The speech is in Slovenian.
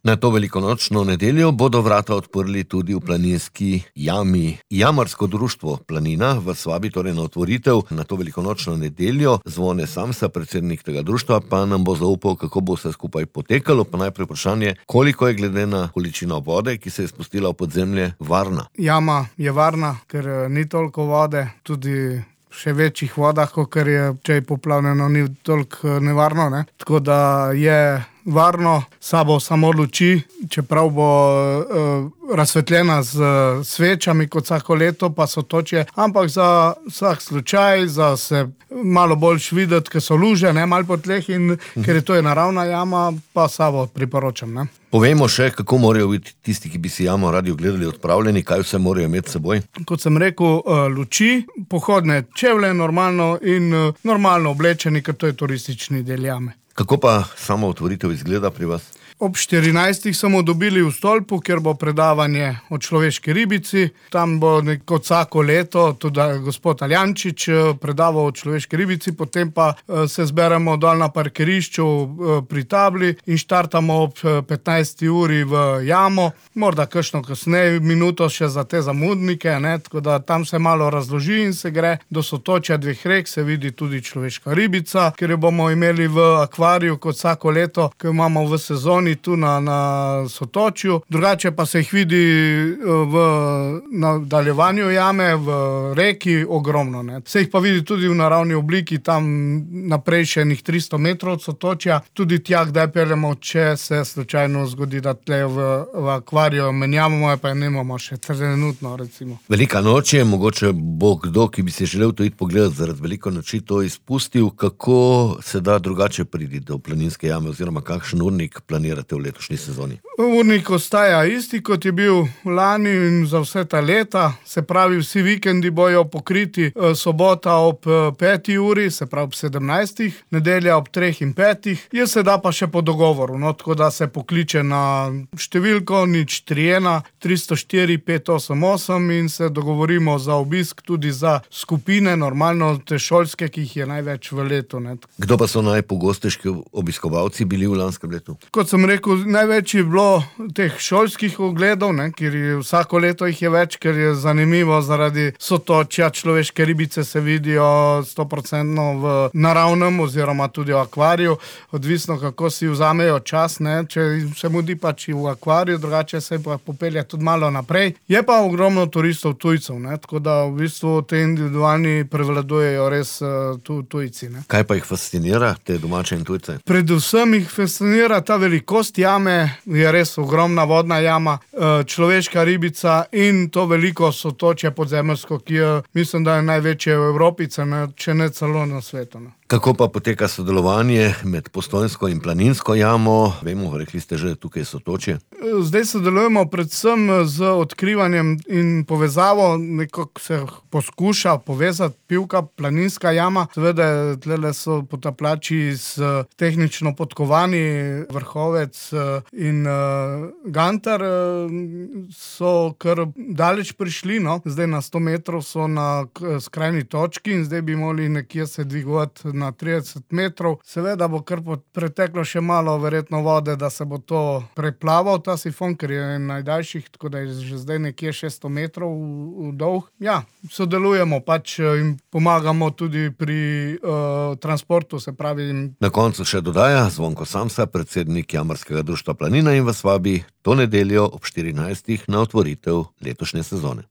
Na to velikonočno nedeljo bodo vrata odprli tudi v planinski jami. Jamarsko društvo Planina vas vabi torej na otvoritev na to velikonočno nedeljo. Zvone Samsa, predsednik tega društva, pa nam bo zaupal, kako bo vse skupaj potekalo. Pa najprej vprašanje, koliko je glede na količino vode, ki se je spustila v podzemlje, varna? Jama je varna, ker ni toliko vode, tudi še večjih vodah, kot je, če je poplavljeno, ni toliko nevarno, ne? Tako da je varno, sabo samo luči, čeprav bo razsvetljena z svečami kot vsako leto, pa sotočje, ampak za vsak slučaj, za se malo boljš videti, ker so luže, ne, malo po tleh in ker je to naravna jama, pa sabo priporočam, ne. Povejmo še, kako morajo biti tisti, ki bi si jamo radi ogledali, odpravljeni, kaj vse morajo imeti s seboj? Kot sem rekel, luči, pohodne čevlje normalno in normalno oblečeni, ker to je turistični del jame. Kako pa samo otvoritev izgleda pri vas? Ob 14. smo dobili v stolpu, kjer bo predavanje o človeški ribici. Tam bo kot vsako leto tudi gospod Aljančič predaval o človeški ribici, potem pa se zberemo dol na parkirišču pri tabli in štartamo ob 15. uri v jamo. Morda kakšno kasneje, minuto še za te zamudnike, ne? Tako da tam se malo razloži in se gre do sotočja dveh rek, se vidi tudi človeška ribica, ker jo bomo imeli v akvariju kot vsako leto, ki jo imamo v sezoni tu na sotočju. Drugače pa se jih vidi v nadaljevanju jame, v reki ogromno, ne. Se jih pa vidi tudi v naravni obliki, tam naprej še 300 metrov od sotočja. Tudi tja, kdaj peljemo, če se slučajno zgodi, da tle v akvariju menjavamo, pa nemamo še trenutno, recimo. Velika noč je, mogoče bo kdo, ki bi se želel to iti pogledati zaradi velike noči, to izpustil. Kako se da drugače priti do planinske jame oziroma kakšen urnik planirate v letošnji sezoni? Urnik ostaja isti, kot je bil lani in za vse ta leta. Se pravi, vsi vikendi bojo pokriti, sobota ob 5. uri, se pravi ob 17. Nedelja ob 3. in 5. Je se da pa še po dogovoru, no, tako da se pokliče na številko 041 304 588 in se dogovorimo za obisk tudi za skupine, normalno te šolske, ki jih je največ v letu, ne. Kdo pa so najpogostejši obiskovalci bili v lanskem letu? Kot sem rekel, največ je bilo teh šolskih ogledov, ne, ker vsako leto jih je več, ker je zanimivo zaradi sotočja, človeške ribice se vidijo 100% v naravnem oziroma tudi v akvariju, odvisno kako si vzamejo čas, ne, če se mudi pač v akvariju, drugače se pa popelje tudi malo naprej. Je pa ogromno turistov tujcev, ne, tako da v bistvu te individualni prevladujejo res tujci, ne. Kaj pa jih fascinira, te domače in tujce? Predvsem jih fascinira ta velikost jame, je res ogromna vodna jama, človeška ribica in to veliko sotočje podzemeljsko, ki je, mislim, da je največje v Evropi, če ne celo na svetu, ne. Kako pa poteka sodelovanje med Postojnsko in Planinsko jamo? Vemo, rekli ste že, tukaj sotočje. Zdaj sodelujemo predvsem z odkrivanjem in povezavo, nekako se poskuša povezati Pivka, Planinska jama. Seveda, tlele so potapljači s tehnično podkovani, Vrhovec in Gantar so kar daleč prišli, no. Zdaj na 100 metrov so na skrajni točki in zdaj bi morali nekje se dvigovati na 30 metrov. Seveda bo kar preteklo še malo verjetno vode, da se bo to preplaval, ta sifon, ker je najdaljših, tako da je že zdaj nekje 600 metrov dolg. Ja, sodelujemo pač in pomagamo tudi pri transportu, se pravi. Na koncu še dodaja Zvonko Samsa, predsednik Jamarskega društva Planina in vas vabi to nedeljo ob 14. na otvoritev letošnje sezone.